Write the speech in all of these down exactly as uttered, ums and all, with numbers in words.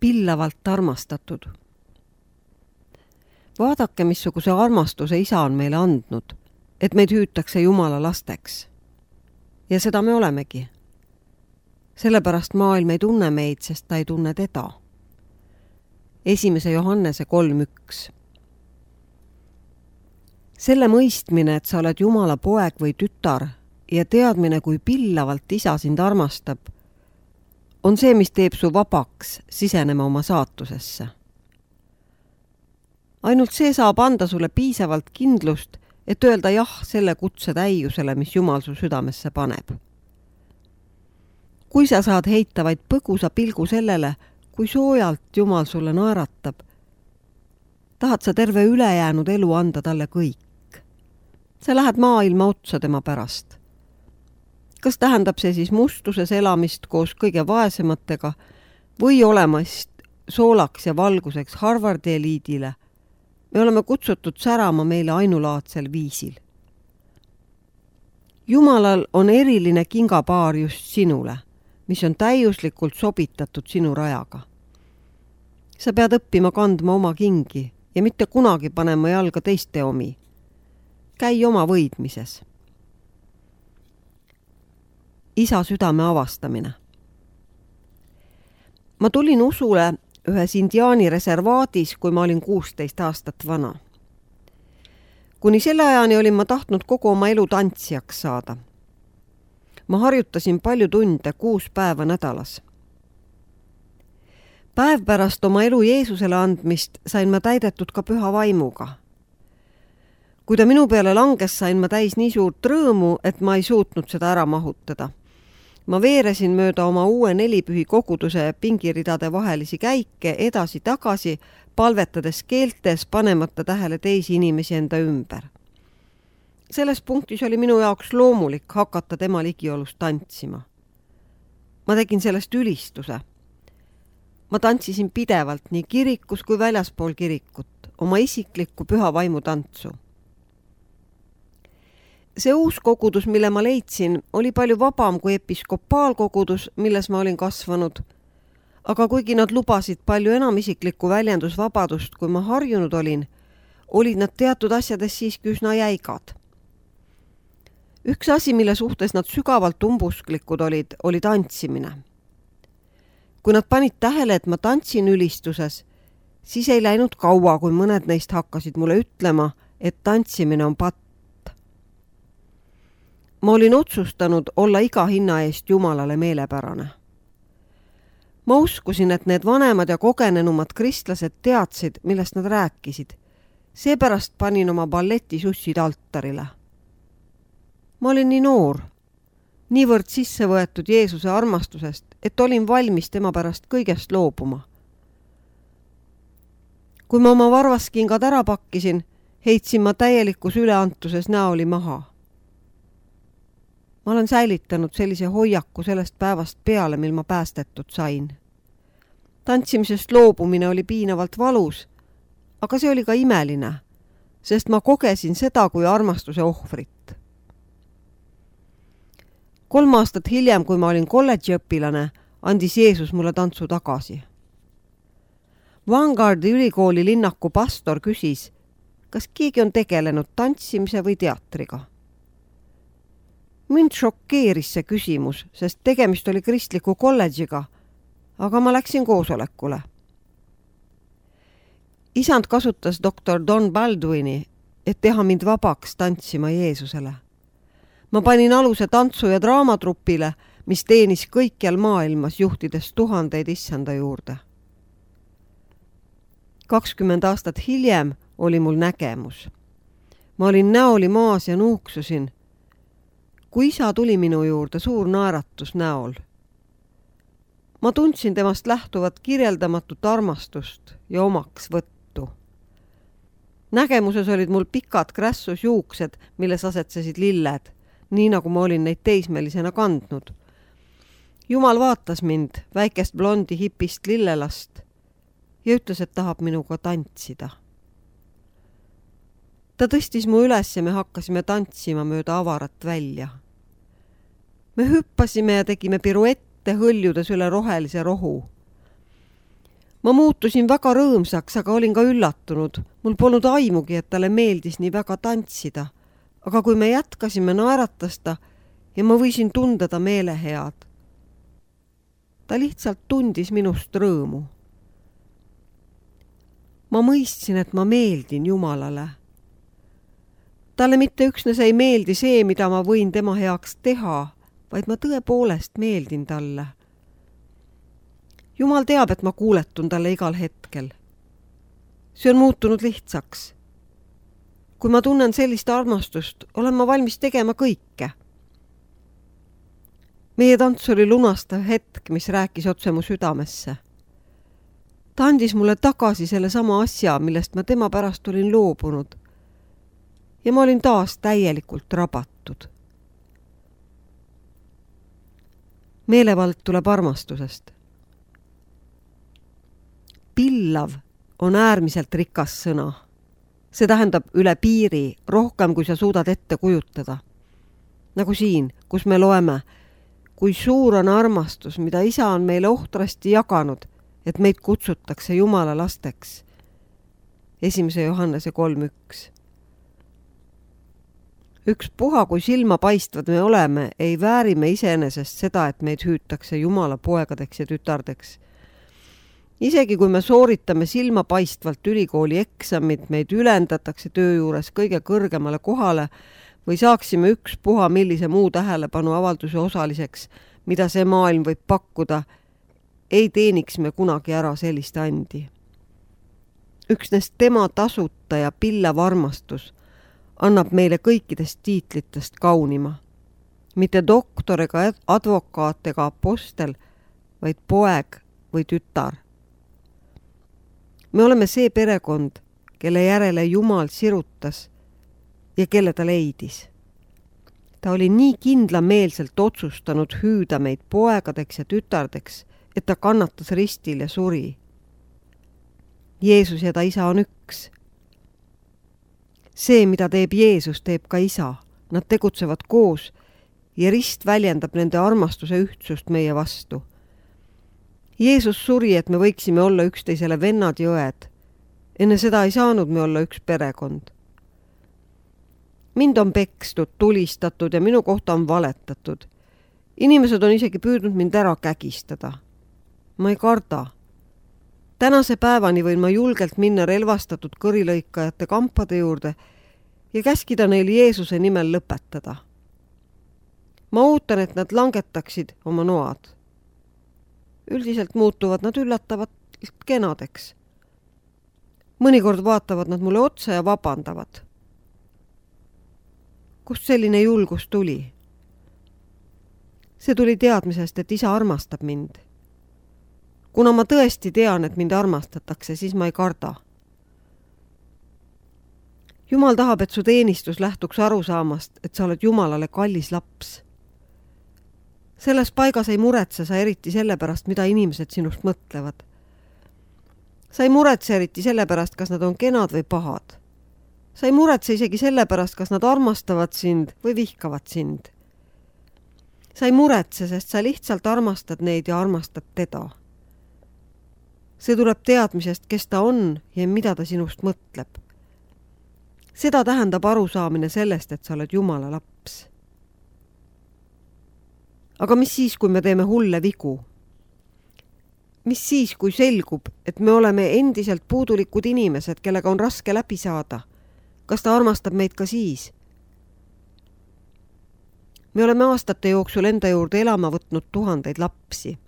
pillavalt armastatud. Vaadake, missuguse armastuse isa on meile andnud, et meid hüütakse Jumala lasteks. Ja seda me olemegi. Sellepärast maailm ei tunne meid, sest ta ei tunne teda. Esimese Johannese kolm üks. Selle mõistmine, et sa oled Jumala poeg või tütar ja teadmine, kui pillavalt isa sind armastab, on see, mis teeb su vabaks sisenema oma saatusesse. Ainult see saab anda sulle piisavalt kindlust, et öelda jah selle kutse täiusele, mis Jumal su südamesse paneb. Kui sa saad heita vaid põgusa pilgu sellele, kui soojalt Jumal sulle naeratab, tahad sa terve ülejäänud elu anda talle kõik. Sa lähed maailma otsa tema pärast. Kas tähendab see siis mustuses elamist koos kõige vaesematega või olemast soolaks ja valguseks Harvardi eliidile? Me oleme kutsutud särama meile ainulaadsel viisil. Jumalal on eriline kingapaar just sinule, mis on täiuslikult sobitatud sinu rajaga. Sa pead õppima kandma oma kingi ja mitte kunagi panema jalga teiste omi. Käi oma võidmises. Isa südame avastamine. Ma tulin usule ühes indiaani reservaadis, kui ma olin kuusteist aastat vana. Kuni selle ajani olin ma tahtnud kogu oma elu tantsijaks saada. Ma harjutasin palju tunde kuus päeva nädalas. Päev pärast oma elu Jeesusele andmist sain ma täidetud ka püha vaimuga. Kui ta minu peale langes, sain ma täis nii suurt rõõmu, et ma ei suutnud seda ära mahutada. Ma veeresin mööda oma uue nelipühi koguduse pingiridade vahelisi käike edasi-tagasi, palvetades keeltes, panemata tähele teisi inimesi enda ümber. Selles punktis oli minu jaoks loomulik hakata tema ligiolus tantsima. Ma tegin sellest ülistuse. Ma tantsisin pidevalt nii kirikus kui väljaspool kirikut, oma isiklikku püha vaimu tantsu. See uus kogudus, mille ma leidsin, oli palju vabam kui episkopaalkogudus, milles ma olin kasvanud. Aga kuigi nad lubasid palju enam isiklikku väljendusvabadust, kui ma harjunud olin, olid nad teatud asjades siiski üsna jäigad. Üks asi, mille suhtes nad sügavalt umbusklikud olid, oli tantsimine. Kui nad panid tähele, et ma tantsin ülistuses, siis ei läinud kaua, kui mõned neist hakkasid mulle ütlema, et tantsimine on patt. Ma olin otsustanud olla iga hinna eest Jumalale meelepärane. Ma uskusin, et need vanemad ja kogenenumad kristlased teadsid, millest nad rääkisid. Seepärast panin oma balletisussid altarile. Ma olin nii noor, niivõrd sisse võetud Jeesuse armastusest, et olin valmis tema pärast kõigest loobuma. Kui ma oma varvaskingad ära pakkisin, heitsin ma täielikus üleantuses näoli maha. Ma olen säilitanud sellise hoiaku sellest päevast peale, mil ma päästetud sain. Tantsimisest loobumine oli piinavalt valus, aga see oli ka imeline, sest ma kogesin seda kui armastuse ohvrit. Kolm aastat hiljem, kui ma olin kolledžiõpilane, andis Jeesus mulle tantsu tagasi. Vanguardi ülikooli linnaku pastor küsis, kas keegi on tegelenud tantsimise või teatriga. Mind šokeeris see küsimus, sest tegemist oli kristliku kolledžiga, aga ma läksin koosolekule. Isand kasutas doktor Don Baldwini, et teha mind vabaks tantsima Jeesusele. Ma panin aluse tantsu- ja draamatrupile, mis teenis kõikjal maailmas, juhtides tuhandeid issanda juurde. kakskümmend aastat hiljem oli mul nägemus. Ma olin näoli maas ja nuuksusin. Kui isa tuli minu juurde, suur naeratus näol. Ma tundsin temast lähtuvat kirjeldamatut armastust ja omaks võttu. Nägemuses olid mul pikad krässus juuksed, milles asetsesid lilled, nii nagu ma olin neid teismelisena kandnud. Jumal vaatas mind, väikest blondi hipist lillelast, ja ütles, et tahab minuga tantsida. Ta tõstis mu üles ja me hakkasime tantsima mööda avarat välja. Me hüppasime ja tegime piruette hõljudes üle rohelise rohu. Ma muutusin väga rõõmsaks, aga olin ka üllatunud. Mul polnud aimugi, et talle meeldis nii väga tantsida. Aga kui me jätkasime, naeratas ta ja ma võisin tunda ta meelehead. Ta lihtsalt tundis minust rõõmu. Ma mõistsin, et ma meeldin Jumalale. Talle mitte üksnes ei meeldi see, mida ma võin tema heaks teha, vaid ma tõepoolest meeldin talle. Jumal teab, et ma kuuletun talle igal hetkel. See on muutunud lihtsaks. Kui ma tunnen sellist armastust, olen ma valmis tegema kõike. Meie tants oli lunastav hetk, mis rääkis otse mu südamesse. Ta andis mulle tagasi selle sama asja, millest ma tema pärast olin loobunud. Ja ma olin taas täielikult rabatud. Meelevald tuleb armastusest. Pillav on äärmiselt rikas sõna. See tähendab üle piiri, rohkem kui sa suudad ette kujutada. Nagu siin, kus me loeme, kui suur on armastus, mida isa on meile ohtrasti jaganud, et meid kutsutakse Jumala lasteks. Esimese Johannese kolm üks. Üks puha, kui silma paistvad me oleme, ei vääri me iseenesest seda, et meid hüütakse Jumala poegadeks ja tütardeks. Isegi kui me sooritame silma paistvalt ülikooli eksamid, meid ülendatakse töö juures kõige kõrgemale kohale või saaksime üks puha millise muu tähelepanu avalduse osaliseks, mida see maailm võib pakkuda, ei teeniks me kunagi ära sellist andi. Üksnes tema tasuta ja pillav armastus annab meile kõikidest tiitlitest kaunima. Mitte doktor ega advokaat ega apostel, vaid poeg või tütar. Me oleme see perekond, kelle järele Jumal sirutas ja kelle ta leidis. Ta oli nii kindlameelselt otsustanud hüüda meid poegadeks ja tütardeks, et ta kannatas ristil ja suri. Jeesus ja ta isa on üks. See, mida teeb Jeesus, teeb ka isa. Nad tegutsevad koos ja rist väljendab nende armastuse ühtsust meie vastu. Jeesus suri, et me võiksime olla üksteisele vennad ja õed. Enne seda ei saanud me olla üks perekond. Mind on pekstud, tulistatud ja minu kohta on valetatud. Inimesed on isegi püüdnud mind ära kägistada. Ma ei karda. Tänase päevani võin ma julgelt minna relvastatud kõrilõikajate kampade juurde ja käskida neil Jeesuse nimel lõpetada. Ma ootan, et nad langetaksid oma noad. Üldiselt muutuvad nad üllatavalt kenadeks. Mõnikord vaatavad nad mulle otsa ja vabandavad. Kust selline julgus tuli? See tuli teadmisest, et isa armastab mind. Kuna ma tõesti tean, et mind armastatakse, siis ma ei karda. Jumal tahab, et su teenistus lähtuks arusaamast, et sa oled Jumalale kallis laps. Selles paigas ei muretse sa eriti selle pärast, mida inimesed sinust mõtlevad. Sa ei muretse eriti selle pärast, kas nad on kenad või pahad. Sa ei muretse isegi selle pärast, kas nad armastavad sind või vihkavad sind. Sa ei muretse, sest sa lihtsalt armastad neid ja armastad teda. See tuleb teadmisest, kes ta on ja mida ta sinust mõtleb. Seda tähendab arusaamine sellest, et sa oled Jumala laps. Aga mis siis, kui me teeme hulle vigu? Mis siis, kui selgub, et me oleme endiselt puudulikud inimesed, kellega on raske läbi saada? Kas ta armastab meid ka siis? Me oleme aastate jooksul enda juurde elama võtnud tuhandeid lapsi.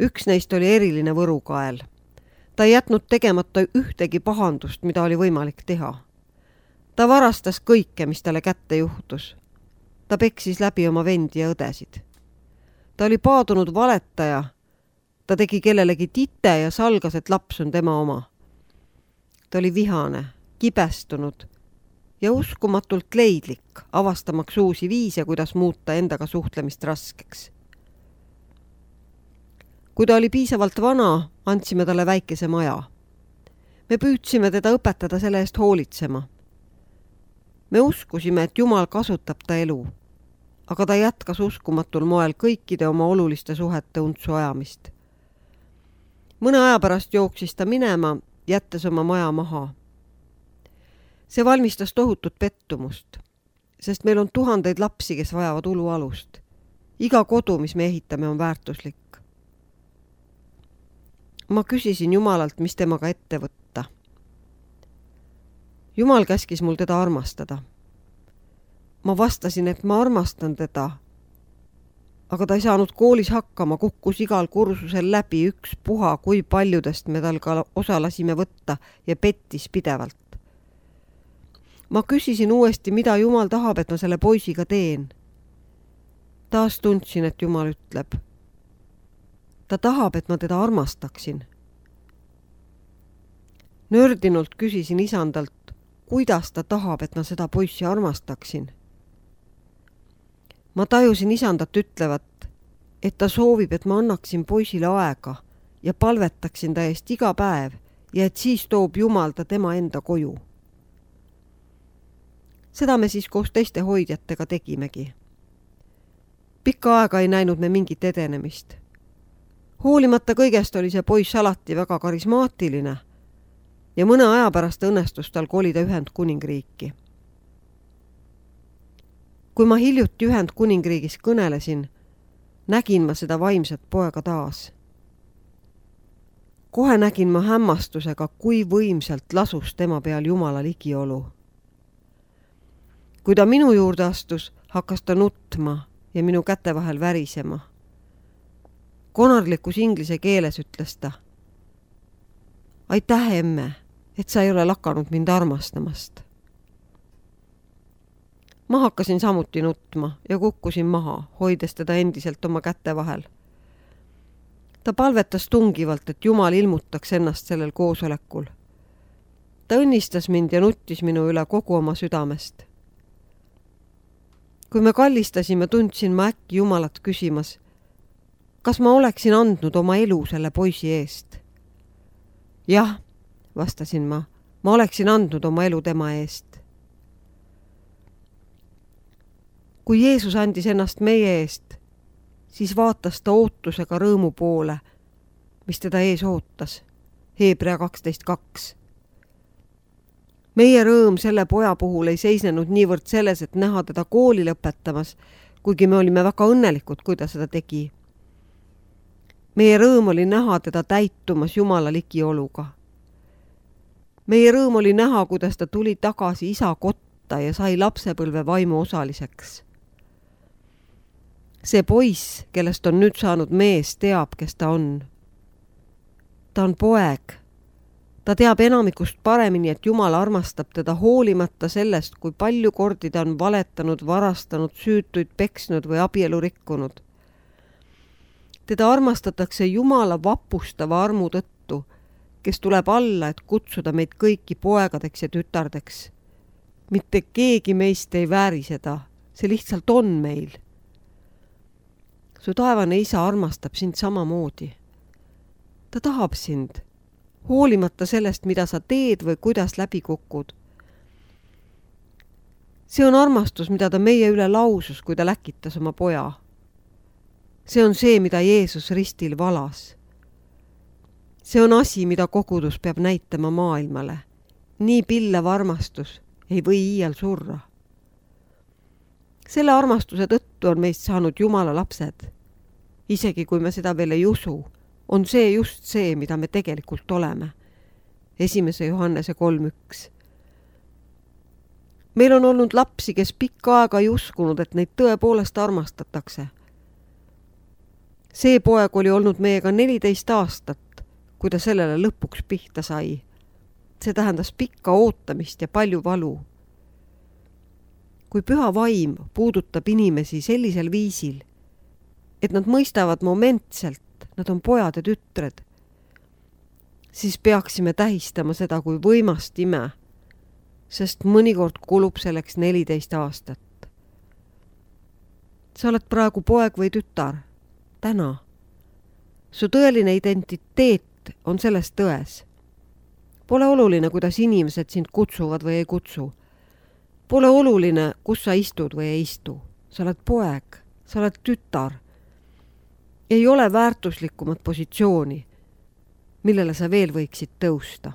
Üks neist oli eriline võrukael. Ta ei jätnud tegemata ühtegi pahandust, mida oli võimalik teha. Ta varastas kõike, mis talle kätte juhtus. Ta peksis läbi oma vendi ja õdesid. Ta oli paadunud valetaja. Ta tegi kellelegi tite ja salgas, et laps on tema oma. Ta oli vihane, kibestunud ja uskumatult leidlik, avastamaks uusi viise, kuidas muuta endaga suhtlemist raskeks. Kui ta oli piisavalt vana, andsime talle väikese maja. Me püüdsime teda õpetada selle eest hoolitsema. Me uskusime, et Jumal kasutab ta elu, aga ta jätkas uskumatul moel kõikide oma oluliste suhete untsu ajamist. mõne aja pärast jooksis ta minema, jättes oma maja maha. See valmistas tohutut pettumust, sest meil on tuhandeid lapsi, kes vajavad ulualust. Iga kodu, mis me ehitame, on väärtuslik. Ma küsisin Jumalalt, mis temaga ette võtta. Jumal käskis mul teda armastada. Ma vastasin, et ma armastan teda, aga ta ei saanud koolis hakkama, kukkus igal kursusel läbi üks puha, kui paljudest me tal ka osa lasime võtta ja pettis pidevalt. Ma küsisin uuesti, mida Jumal tahab, et ma selle poisiga teen. Taas tundsin, et Jumal ütleb. Ta tahab, et ma teda armastaksin. Nördinult küsisin isandalt, kuidas ta tahab, et ma seda poissi armastaksin. Ma tajusin isandat ütlevat, et ta soovib, et ma annaksin poisile aega ja palvetaksin ta eest iga päev ja et siis toob Jumal ta tema enda koju. Seda me siis koos teiste hoidjatega tegimegi. Pikka aega ei näinud me mingit edenemist. Hoolimata kõigest oli see poiss alati väga karismaatiline ja mõne aja pärast õnnestus tal kolida Ühendkuningriiki. Kui ma hiljuti Ühendkuningriigis kõnelesin, nägin ma seda vaimset poega taas. Kohe nägin ma hämmastusega, kui võimsalt lasus tema peal Jumala ligiolu. Kui ta minu juurde astus, hakkas ta nutma ja minu käte vahel värisema. Konarlikus inglise keeles ütles ta. Aitäh, emme, et sa ei ole lakanud mind armastamast. Ma hakkasin samuti nutma ja kukkusin maha, hoides teda endiselt oma käte vahel. Ta palvetas tungivalt, et Jumal ilmutaks ennast sellel koosolekul. Ta õnnistas mind ja nuttis minu üle kogu oma südamest. Kui me kallistasime, tundsin ma äkki Jumalat küsimas, kas ma oleksin andnud oma elu selle poisi eest? Jah, vastasin ma, ma oleksin andnud oma elu tema eest. Kui Jeesus andis ennast meie eest, siis vaatas ta ootusega rõõmu poole, mis teda ees ootas. Hebrea kaksteist kaks. Meie rõõm selle poja puhul ei seisnenud niivõrd selles, et näha teda kooli lõpetamas, kuigi me olime väga õnnelikud, kui ta seda tegi. Meie rõõm oli näha teda täitumas Jumala ligioluga. Meie rõõm oli näha, kuidas ta tuli tagasi isa kotta ja sai lapsepõlve vaimu osaliseks. See poiss, kellest on nüüd saanud mees, teab, kes ta on. Ta on poeg. Ta teab enamikust paremini, et Jumal armastab teda hoolimata sellest, kui palju kordi ta on valetanud, varastanud, süütuid peksnud või abielu rikkunud. Teda armastatakse Jumala vapustava armu tõttu, kes tuleb alla, et kutsuda meid kõiki poegadeks ja tütardeks. Mitte keegi meist ei vääri seda, see lihtsalt on meil. Su taevane isa armastab sind samamoodi. Ta tahab sind, hoolimata sellest, mida sa teed või kuidas läbi kukud. See on armastus, mida ta meie üle lausus, kui ta läkitas oma poja. See on see, mida Jeesus ristil valas. See on asi, mida kogudus peab näitama maailmale. Nii pillav armastus ei või iial surra. Selle armastuse tõttu on meist saanud Jumala lapsed. Isegi kui me seda veel ei usu, on see just see, mida me tegelikult oleme. Esimese Johannese kolm üks. Meil on olnud lapsi, kes pikka aega ei uskunud, et neid tõepoolest armastatakse. See poeg oli olnud meiega neliteist aastat, kui ta sellele lõpuks pihta sai. See tähendas pikka ootamist ja palju valu. Kui püha vaim puudutab inimesi sellisel viisil, et nad mõistavad momentselt, nad on pojad ja tütred, siis peaksime tähistama seda kui võimast ime, sest mõnikord kulub selleks neliteist aastat. Sa oled praegu poeg või tütar, täna. Su tõeline identiteet on selles tões. Pole oluline, kuidas inimesed sind kutsuvad või ei kutsu. Pole oluline, kus sa istud või ei istu. Sa oled poeg, sa oled tütar. Ei ole väärtuslikumat positsiooni. millele sa veel võiksid tõusta.